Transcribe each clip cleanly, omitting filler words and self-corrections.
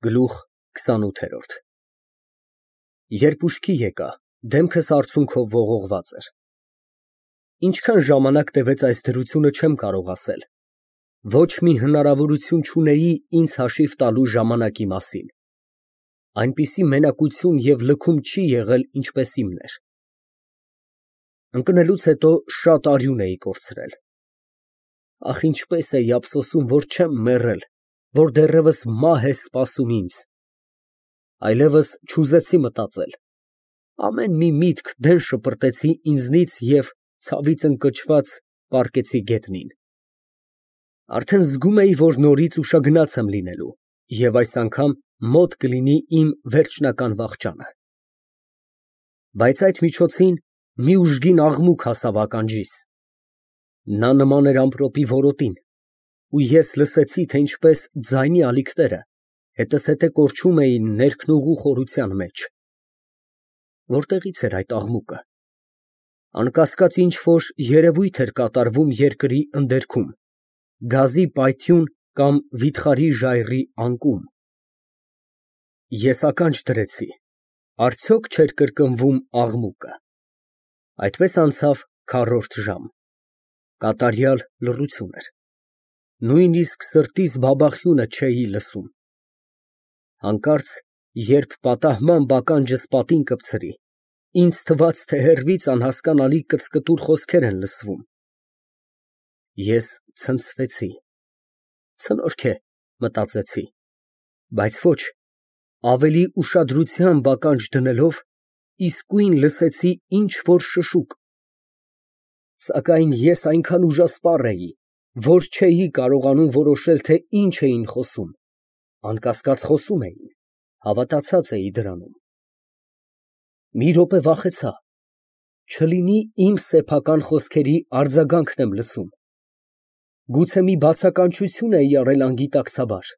Գլուխ 28 Երբ ուշքի եկա, դեմքս արցունքով ողողված էր։ Ինչքան ժամանակ տևեց այս դրությունը, չեմ կարող ասել, ոչ մի հնարավորություն չունեի ինձ հաշիվ տալու ժամանակի մասին, այնպիսի մենակություն և լքում չի եղել, ինչպես իմն էր։ Ընկնելուց հետո շատ արյուն էի կորցրել։ Ախ, ինչպես էի ափսոսում, որ չեմ մեռել, որ դեռևս մահ է սպասում ինձ։ Այլևս չուզեցի մտածել, ամեն մի միտք դեն շպրտեցի ինձնից և ցավից ընկճված պառկեցի գետնին։ Արդեն զգում էի, որ նորից ուշագնաց եմ լինելու և այս անգամ մոտ կլինի իմ վերջնական վախճանը։ Բայց այդ միջոցին մի ուժգին աղմուկ հասավ ականջիս։ Նա նման էր ամպրոպի որոտին, ու ես լսեցի, թե ինչպես ձայնի ալիքները հետզհետե կորչում էին ներքնուղու խորության մեջ։ Որտեղի՞ց էր այդ աղմուկը։ Անկասկած ինչ֊որ երևույթ էր կատարվում երկրի ընդերքում, գազի պայթյուն կամ վիթխարի ժայռի անկում։ Ես ականջ դրեցի, արդյոք չէր կրկնվում աղմուկը։ Այդպես անցավ քառորդ ժամ, կատարյալ լռություն էր, նույնիսկ սրտիս բաբախյունը չէի լսում։ Հանկարծ, երբ պատահմամբ ականջս պատին կպցրի, ինձ թվաց, թե հեռվից անհասկանալի կծկտուր խոսքեր են լսվում։ Ես ցնցվեցի, ցնորք է, մտածեցի, բայց ոչ, ավելի ուշադրությամբ ականջ դնելով, իսկույն լսեցի ինչ֊որ շշուկ։ Սակայն ես այնքան ուժասպառ էի, որ չէի կարողանում որոշել, թե ինչ էին խոսում, անկասկած խոսում էին, հավատացած էի դրանում։ Մի րոպե վախեցա, չլինի իմ սեփական խոսքերի արձագանքն եմ լսում, գուցե մի բացականչություն էի արել անգիտակցաբար։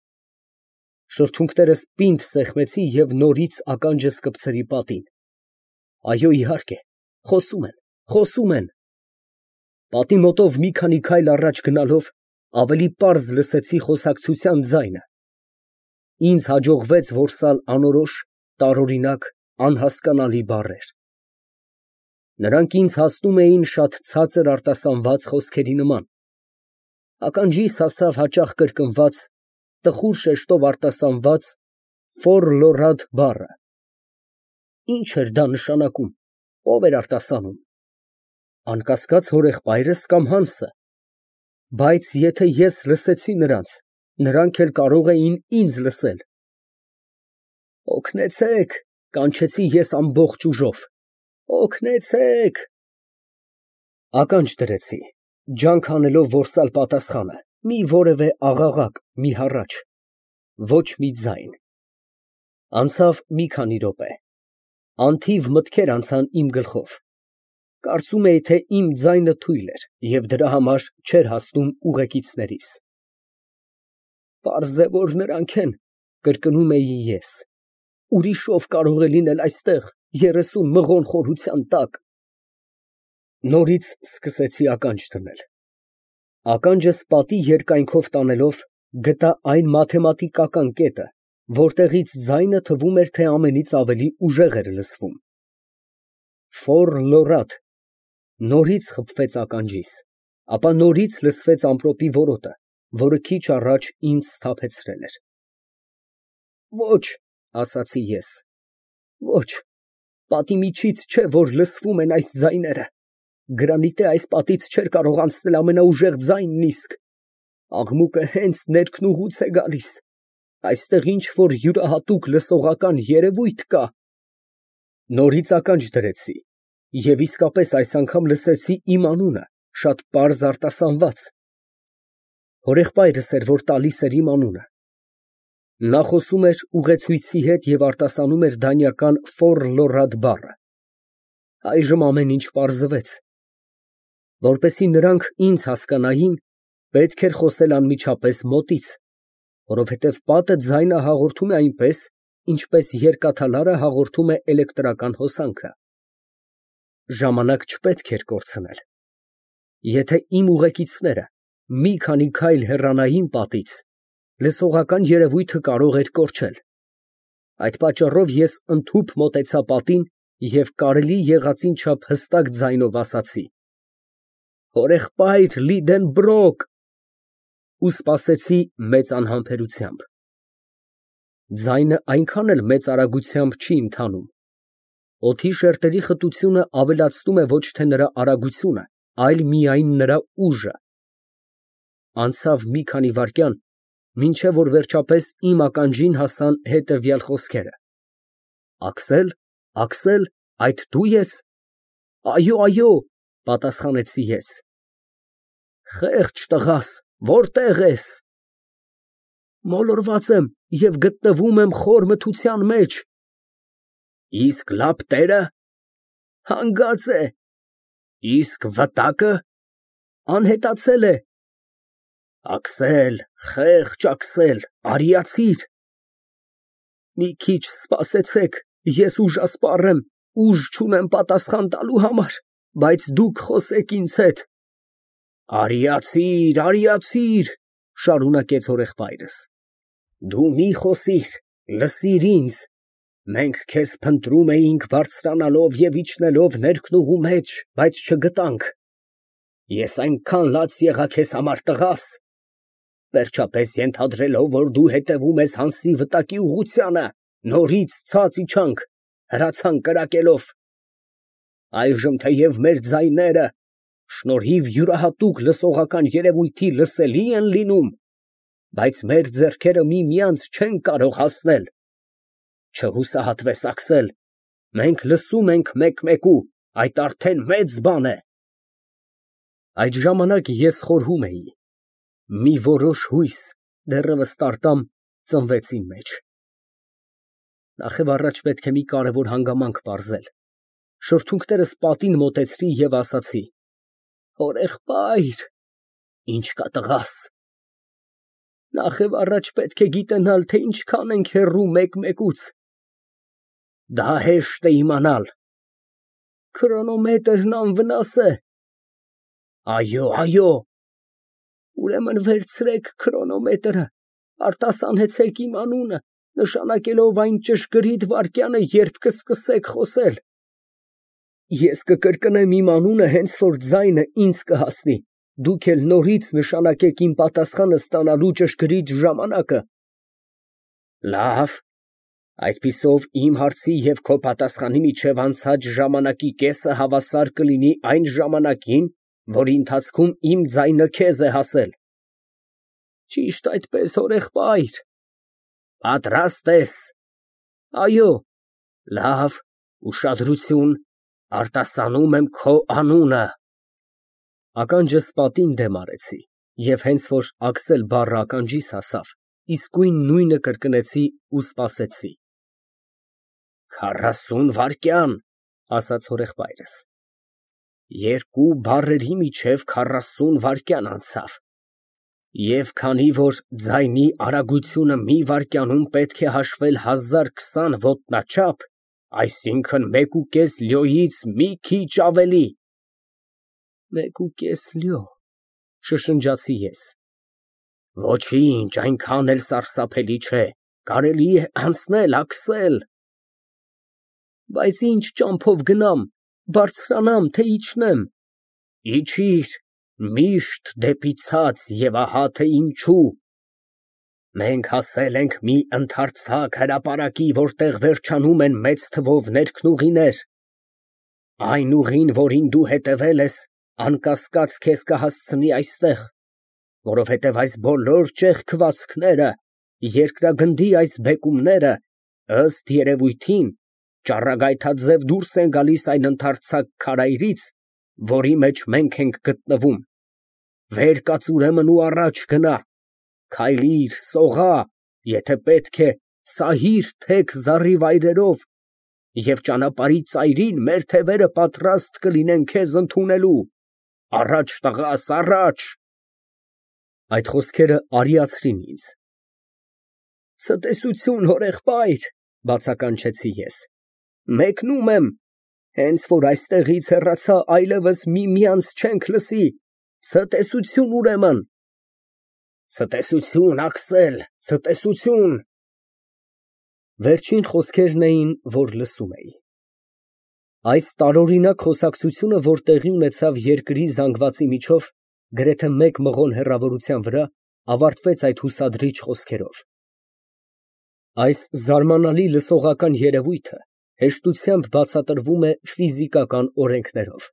Շրթունքներս պինդ սեղմեցի և նորից ականջս կպցրի պատին։ Այո, իհարկե, խոսում են։ Պատի մոտով մի քանի քայլ առաջ գնալով, ավելի պարզ լսեցի խոսակցության ձայնը։ Ինձ հաջողվեց որսալ անորոշ, տարօրինակ, անհասկանալի բառեր։ Նրանք ինձ հասնում էին շատ ցածր արտասանված խոսքերի նման։ Ականջիս հասավ հաճախ կրկնված, տխուր շեշտով արտասանված ֆոր֊լոռադ բառը։ Ինչ էր դա նշանակում, ով էր արտասանում։ Անկասկած հորեղբայրս կամ Հանսը։ Բայց եթե ես լսեցի նրանց, նրանք էլ կարող էին ինձ լսել։ Օգնեցե՛ք, կանչեցի ես ամբողջ ուժով, օգնեցե՛ք։ Ականջ դրեցի, ջանք անելով որսալ պատասխանը, մի որևէ աղաղակ, մի հառաչ, ոչ մի ձայն։ Անցավ մի քանի րոպե, անթիվ մտքեր անցան իմ գլխով, կարծում էի, թե իմ ձայնը թույլ էր և դրա համար չէր հասնում ուղեկիցներիս։ Պարզ է, որ նրանք են, կրկնում էի ես, ուրիշ ով կարող է լինել այստեղ, 30 մղոն խորության տակ։ Նորից սկսեցի ականջ դնել։ Ականջս պատի երկայնքով տանելով, գտա այն մաթեմատիկական կետը, որտեղից ձայնը թվում էր, թե ամենից ավելի ուժեղ էր լսվում։ Ֆոր֊լոռադ, նորից խփվեց ականջիս, ապա նորից լսվեց ամպրոպի որոտը, որը քիչ առաջ ինձ սթափեցրել էր։ Ոչ, ասացի ես, ոչ, պատի միջից չէ, որ լսվում են այս ձայները, գրանիտե այս պատից չէր կարող անցնել ամենաուժեղ ձայնն իսկ, աղմուկը հենց ներքնուղուց է գալիս, այստեղ ինչ֊որ յուրահատուկ լսողական երևույթ կա։ Նորից ականջ դրեցի և իսկապես այս անգամ լսեցի իմ անունը, շատ պարզ արտասանված։ Հորեղբայրս էր, որ տալիս էր իմ անունը։ Նա խոսում էր ուղեցույցի հետ և արտասանում էր դանիական ֆոր֊լոռադ բառը։ Այժմ ամեն ինչ պարզվեց։ Որպեսզի նրանք ինձ հասկանային, պետք էր խոսել անմիջապես մոտից, որովհետև պատը ձայնը հաղորդում է այնպես, ինչպես երկաթալարը հաղորդում է էլեկտրական հոսանքը։ Ժամանակ չպետք էր կորցնել։ Եթե իմ ուղեկիցները մի քանի քայլ հեռանային պատից, լսողական երևույթը կարող էր կորչել։ Այդ պատճառով ես ընդհուպ մոտեցա պատին և կարելի եղածին չափ հստակ ձայնով ասացի. «Հորեղբայր Լիդենբրոկ» ու սպասեցի մեծ անհամբերությամբ։ Ձայնը այնքան էլ մեծ արագությամբ չի ընթանում։ Օդի շերտերի խտությունը ավելացնում է ոչ թե նրա արագությունը, այլ միայն նրա ուժը։ Անցավ մի քանի վայրկյան, մինչև որ վերջապես իմ ականջին հասան հետևյալ խոսքերը. «Աքսել, Աքսել, այդ դու ես»։ «Այո, այո», պատասխանեցի ես։ «Խեղճ տղաս, որտե՞ղ ես»։ «Մոլորված եմ և գտնվում եմ խոր մթության մեջ»։ «Իսկ լապտերը»։ «Հանգած է»։ «Իսկ վտակը»։ «Անհետացել է»։ «Աքսել, խեղճ Աքսել, արիացիր»։ «Մի քիչ սպասեցեք, ես ուժասպառ եմ, ուժ չունեմ պատասխան տալու համար, բայց դուք խոսեք ինձ հետ»։ «Արիացիր, արիացիր», շարունակեց հորեղբայրս, «դու մի խոսիր, լսիր ինձ, մենք քեզ փնտրում էինք բարձրանալով և իջնելով ներքնուղու մեջ, բայց չգտանք։ Ես այնքան լաց եղա քեզ համար, տղաս, վերջապես ենթադրելով, որ դու հետևում ես Հանսի վտակի ուղղությանը, նորից ցած իջանք, հրացանք կրակելով։ Այժմ թեև մեր ձայները շնորհիվ յուրահատուկ լսողական երևույթի լսելի են լինում, բայց մեր ձեռքերը միմյանց չեն կարող հասնել։ Չհուսահատվես, Աքսել, մենք լսում ենք մեկ֊մեկու, այդ արդեն մեծ բան է։ Այդ ժամանակ ես խորհում էի. մի որոշ հույս, դեռևս տարտամ, ծնվեց իմ մեջ։ Նախևառաջ պետք է մի կարևոր հանգամանք պարզել։ Շրթունքներս պատին մոտեցրի և ասացի. «Հորեղբայր»։ «Ինչ կա, տղաս»։ «Նախևառաջ պետք է գիտենալ, թե ինչքան ենք հեռու մեկմեկուց»։ «Դա հեշտ է իմանալ»։ «Քրոնոմետրն անվնաս է»։ «Այո, այո»։ «Ուրեմն վերցրեք քրոնոմետրը, արտասանեցեք իմ անունը, նշանակելով այն ճշգրիտ վայրկյանը, երբ կսկսեք խոսել։ Ես կկրկնեմ իմ անունը, հենց որ ձայնը ինձ կհասնի, դուք էլ նորից նշանակեք իմ պատասխանը ստանալու ճշգրիտ ժամանակը»։ «Լավ, այդպիսով իմ հարցի և քո պատասխանի միջև անցած ժամանակի կեսը հավասար կլինի այն ժամանակին, որի ընթացքում իմ ձայնը քեզ է հասել»։ «Ճիշտ այդպես, հորեղբայր»։ «Պատրաստ ես»։ «Այո»։ «Լավ, ուշադրություն, արտասանում եմ քո անունը»։ Ականջս պատին դեմ արեցի, և հենց որ Աքսել բառը ականջիս հասավ, իսկույն նույնը կրկնեցի ու սպասեցի։ 40 վայրկյան, ասաց հորեղբայրս։ Երկու բառերի միջև 40 վայրկյան անցավ։ Եվ քանի որ ձայնի արագությունը մի վայրկյանում պետք է հաշվել 1020 ոտնաչափ, այսինքն 1.5 լյոյից մի քիչ ավելի։ 1.5 լյո, շշնջացի ես։ Ոչինչ, այնքան էլ սարսափելի չէ, կարելի է անցնել, Աքսել։ Բայց ինչ ճամփով գնամ, բարձրանամ, թե իջնեմ։ Իջիր, միշտ դեպի ցած, և ահա թե ինչու։ Մենք հասել ենք մի ընդարձակ հրապարակի, որտեղ վերջանում են մեծ թվով ներքնուղիներ։ Այն ուղին, որին դու հետևել ես, անկասկած քեզ կհասցնի այստեղ, որովհետև այս բոլոր ճեղքվածքները, երկրագնդի այս բեկումները, ըստ երևույթին, ճառագայթաձև դուրս են գալիս այն ընդարձակ քարայրից, որի մեջ մենք ենք գտնվում։ Վեր կաց ուրեմն ու առաջ գնա, քայլիր, սողա, եթե պետք է, սահիր թեք զառիվայրերով, և ճանապարհի ծայրին մեր թևերը պատրաստ կլինեն քեզ ընդունելու։ Առաջ, տղաս, առաջ։ Այդ խոսքերը արիացրին ինձ։ Ցտեսություն, հորեղբայր, բացականչեցի ես։ Մեկնում եմ, հենց որ այստեղից հեռացա, այլևս միմյանց չենք լսի։ Ցտեսություն ուրեմն։ Ցտեսություն, Աքսել, ցտեսություն։ Վերջին խոսքերն էին, որ լսում էի։ Այս տարօրինակ խոսակցությունը, որ տեղի ունեցավ երկրի զանգվածի միջով, գրեթե մեկ մղոն հեռավորության վրա, ավարտվեց այդ հուսադրիչ խոսքերով. «Այս զարմանալի լսողական երևույթը հեշտությամբ բացատրվում է ֆիզիկական օրենքներով։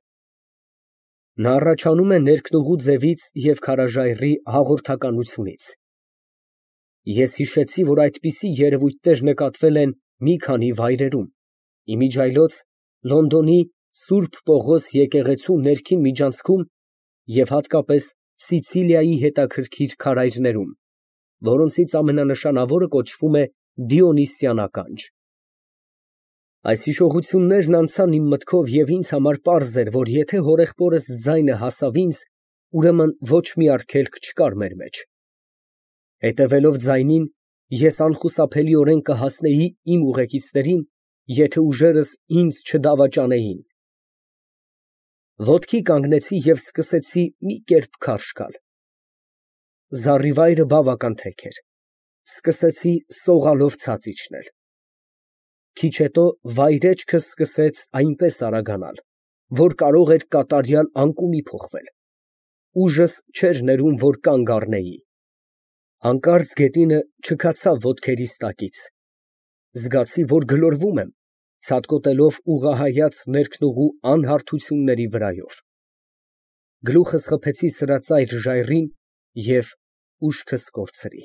Նա առաջանում է ներքնուղու ձևից և քարաժայռի հաղորդականությունից։ Ես հիշեցի, որ այդպիսի երևույթներ նկատվել են մի քանի վայրերում, իմիջիայլոց Լոնդոնի Սուրբ Պողոս եկեղեցու ներքին միջանցքում և հատկապես Սիցիլիայի հետաքրքիր քարայրներում, որոնցից ամենանշանավորը կոչվում է Դիոնիսյան ականջ։ Այս հիշողություններն անցան իմ մտքով և ինձ համար պարզ էր, որ եթե հորեղբորս ձայնը հասավ ինձ, ուրեմն ոչ մի արգելք չկար մեր մեջ։ Հետևելով ձայնին, ես անխուսափելիորեն կհասնեի իմ ուղեկիցներին, եթե ուժերս ինձ չդավաճանեին։ Ոտքի կանգնեցի և սկսեցի մի կերպ քարշ գալ։ Զառիվայրը բավական թեք էր, սկսեցի սողալով ցած իջնել։ Քիչ հետո վայրէջքս սկսեց այնպես արագանալ, որ կարող էր կատարյալ անկումի փոխվել։ Ուժս չէր ներում, որ կանգ առնեի։ Հանկարծ գետինը չքացավ ոտքերիս տակից։ Զգացի, որ գլորվում եմ, ցատկոտելով ուղղահայաց ներքնուղու անհարթությունների վրայով։ Գլուխս խփեցի սրածայր ժայռին և ուշքս կորցրի։